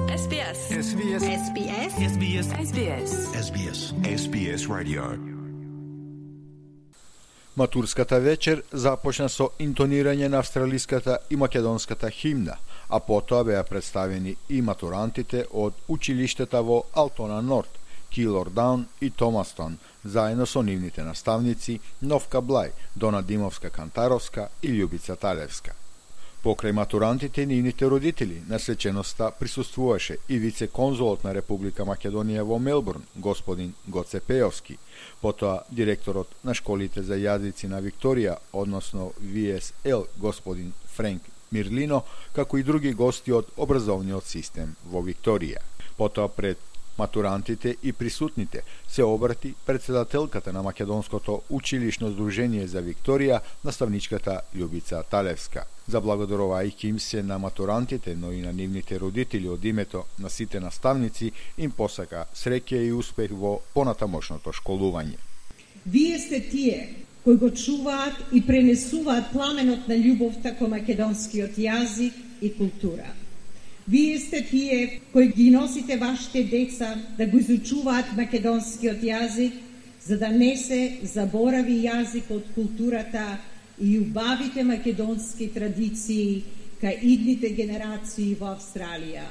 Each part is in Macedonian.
SBS. SBS. SBS. SBS. SBS. SBS. SBS Radio. Матурската вечер започна со интонирање на австралиската и македонската химна, а потоа беа представени и матурантите од училиштата во Алтона Норт, Килордаун и Томастон, заедно со нивните наставници Новка Блај, Дона Димовска-Кантаровска и Љубица Талевска. Покрај матурантите и нивните родители, на свеченоста присуствуваше и вице-конзулот на Република Македонија во Мелбурн, господин Гоце Пејовски, потоа директорот на школите за јазици на Викторија, односно VSL, господин Френк Мирлино, како и други гости од образовниот систем во Викторија. Потоа пред матурантите и присутните се обрати председателката на Македонското училишно здружение за Викторија, наставничката Љубица Талевска. Заблагодарувајќи им се на матурантите, но и на нивните родители од името на сите наставници, им посака среќа и успех во понатамошното школување. Вие сте тие кои го чуваат и пренесуваат пламенот на љубовта кон македонскиот јазик и култура. Вие сте тие кои ги носите вашите деца да го изучуваат македонскиот јазик, за да не се заборави јазикот, културата и убавите македонски традиции кај идните генерации во Австралија.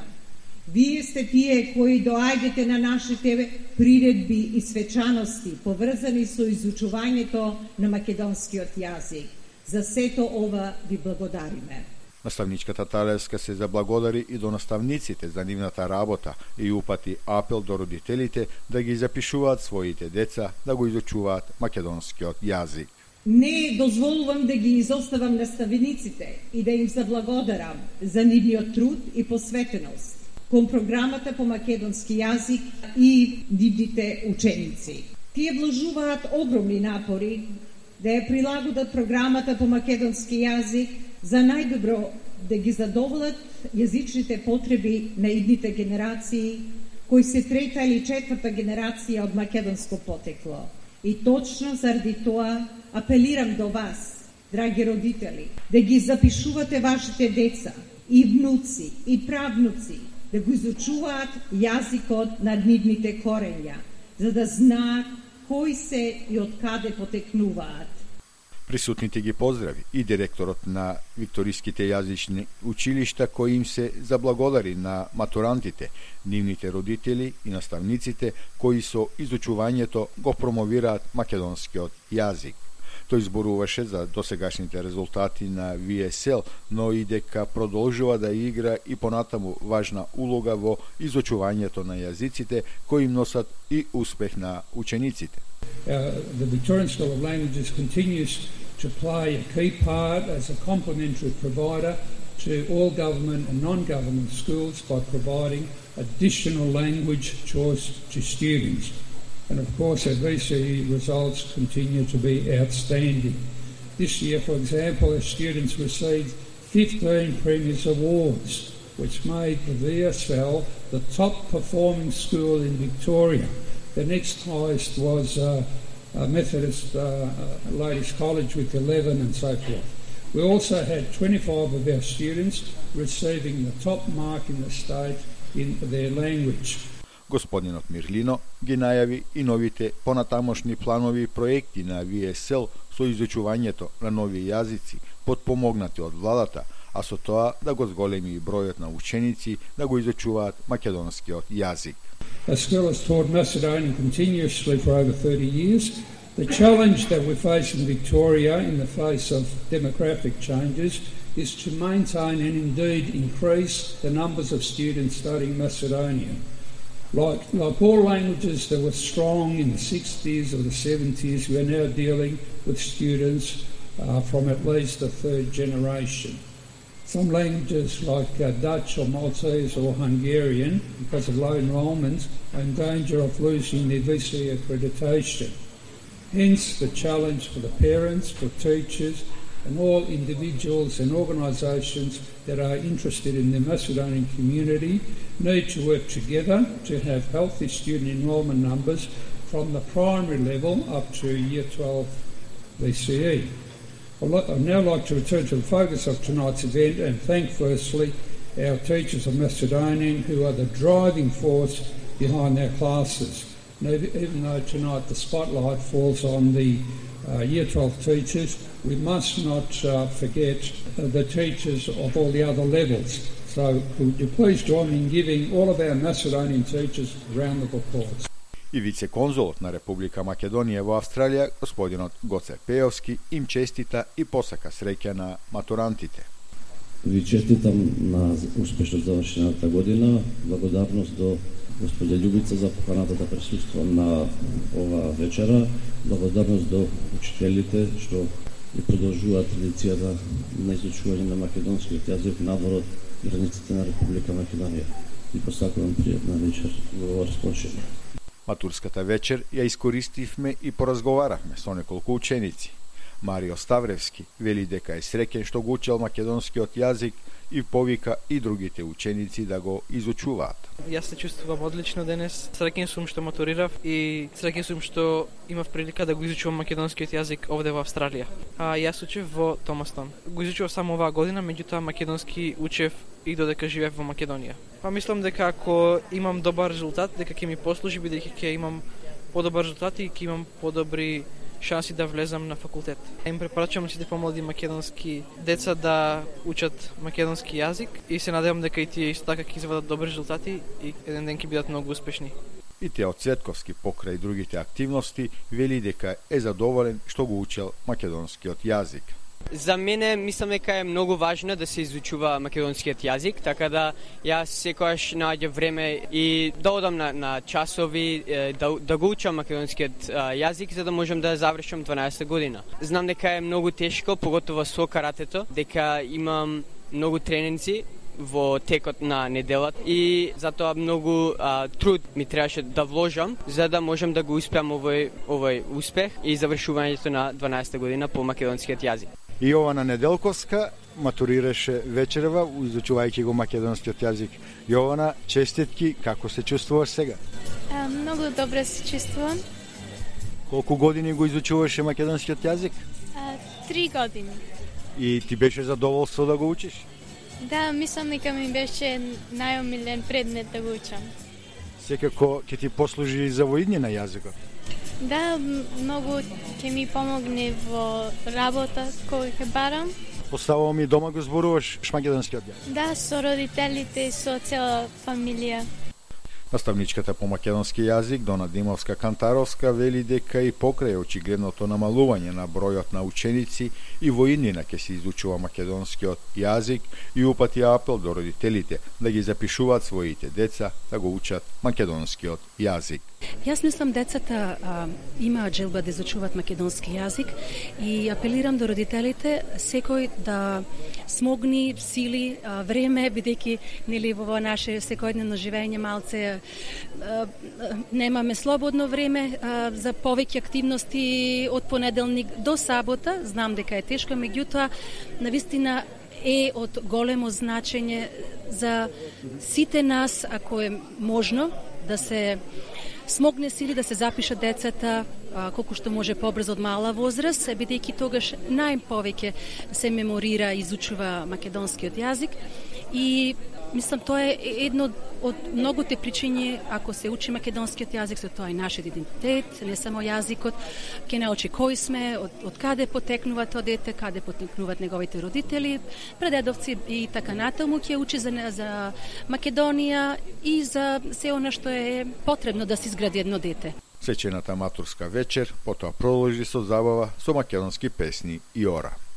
Вие сте тие кои доаѓате на нашите приредби и свечаности, поврзани со изучувањето на македонскиот јазик. За сето ова ви благодариме. Наставничката Талевска се заблагодари и до наставниците за нивната работа и упати апел до родителите да ги запишуваат своите деца да го изучуваат македонскиот јазик. Не дозволувам да ги изоставам наставниците и да им заблагодарам за нивниот труд и посветеност кон програмата по македонски јазик и нивните ученици. Тие вложуваат огромни напори да ја прилагодат програмата по македонски јазик за најдобро да ги задоволат јазичните потреби на идните генерации, кои се трета или четврта генерација од македонско потекло. И точно заради тоа апелирам до вас, драги родители, да ги запишувате вашите деца и внуци и правнуци да го изучуваат јазикот на нивните корења, за да знаат кои се и од каде потекнуваат. Присутните ги поздрави и директорот на Викториските јазични училишта, кои им се заблагодари на матурантите, нивните родители и наставниците, кои со изучувањето го промовираат македонскиот јазик. Тој зборуваше за досегашните резултати на VSL, но и дека продолжува да игра и понатаму важна улога во изучувањето на јазиците, кои им носат и успех на учениците. The Victorian School of Languages continues to play a key part as a complementary provider to all government and non-government schools by providing additional language choice to students. And of course, our VCE results continue to be outstanding. This year, for example, our students received 15 Premier's Awards, which made the VSL the top performing school in Victoria. The next highest was Methodist Ladies College with 11 and so forth. We also had 25 of our students receiving the top mark in the state in their language. Господинот Мирлино ги најави и новите понатамошни планови и проекти на VSL со изучувањето на нови јазици, подпомогнати од владата, а со тоа да го зголеми и бројот на ученици да го изучуваат македонскиот јазик. Our school has taught Macedonian continuously for over 30 years. The challenge that we face in Victoria in the face of demographic changes is to maintain and indeed increase the numbers of students studying Macedonian. Like all languages that were strong in the 60s or the 70s, we are now dealing with students from at least the third generation. Some languages like Dutch or Maltese or Hungarian, because of low enrolment, are in danger of losing their VCE accreditation. Hence the challenge for the parents, for teachers and all individuals and organisations that are interested in the Macedonian community need to work together to have healthy student enrolment numbers from the primary level up to Year 12 VCE. I'd now like to return to the focus of tonight's event and thank firstly our teachers of Macedonian who are the driving force behind our classes. And even though tonight the spotlight falls on the Year 12 teachers, we must not forget the teachers of all the other levels. So could you please join me in giving all of our Macedonian teachers a round of applause. И вице-конзулот на Република Македонија во Австралија, господинот Гоце Пејовски, им честита и посака среќа на матурантите. Ви честитам на успешно завршената година, благодарност до господја Љубица за поканата да присуства на ова вечера, благодарност до учителите што и продолжуваат традицијата на изучување на македонскиот јазик надвор од границите на Република Македонија. И посакувам пријатна вечер во ова расположение. Матурската вечер ја искористивме и поразговаравме со неколку ученици. Марио Ставревски вели дека е среќен што го учел македонскиот јазик и повика и другите ученици да го изучуваат. Јас се чувствувам одлично денес. Среќен сум што матурирав и среќен сум што имав прилика да го изучувам македонскиот јазик овде во Австралија. Јас учев во Томастон. Го изучував само оваа година, меѓутоа македонски учев и додека живеев во Македонија. Мислам дека ако имам добар резултат, дека ќе ми послужи бидејќи ќе имам подобар резултат и ќе имам подобри шанси да влезам на факултет. Им препорачувам сите помлади македонски деца да учат македонски јазик и се надевам дека и тие исто така ќе извадат добри резултати и еден ден ќе бидат многу успешни. И Тео Цветковски покрај другите активности вели дека е задоволен што го учел македонскиот јазик. За мене мислам дека е многу важно да се изучува македонскиот јазик, така да јас секогаш наоѓам време и да одам на часови, да го учам македонскиот јазик за да можам да завршам 12 година. Знам дека е многу тешко, поготово со каратето, дека имам многу тренинзи во текот на неделата и затоа многу труд ми требаше да вложам за да можам да го успеам овој успех и завршувањето на 12 година по македонскиот јазик. И Јована Неделковска матурираше вечерва изучувајќи го македонскиот јазик. Јована, честитки, како се чувствуваш сега? Многу добро се чувствувам. Колку години го изучуваше македонскиот јазик? 3 години. И ти беше задоволство да го учиш? Да, мислам дека ми беше најомилен предмет да го учам. Секако ќе ти послужи и за воидње на јазикот? Да, многу ќе ми помогне во работа која ќе барам. Поставувам и дома го зборуваш македонскиот јазик? Да, со родителите и со цела фамилија. Наставничката по македонски јазик Дона Димовска-Кантаровска вели дека и покрај очигледното намалување на бројот на ученици и во иднина ќе се изучува македонскиот јазик и упати апел до родителите да ги запишуваат своите деца да го учат македонскиот јазик. Јас мислам децата имаат желба да изучуваат македонски јазик и апелирам до родителите секој да смогни сили време бидејќи нели во наше секојдневно живење малце немаме слободно време за повеќе активности од понеделник до сабота. Знам дека е тешко, меѓутоа навистина е од големо значење за сите нас, ако е можно, да се смогне сили да се запишат децата колку што може побрзо од мала возраст, бидејќи тогаш најповеќе се меморира и изучува македонскиот јазик и мислам тоа е едно од многуте причини ако се учи македонскиот јазик, со тоа и нашиот идентитет, не само јазикот, ќе научи кои сме, од каде потекнува тоа дете, каде потекнуваат неговите родители, предедовци и така натаму, ќе учи за Македонија и за се она што е потребно да се изгради едно дете. Свечената матурска вечер потоа продолжи со забава со македонски песни и ора.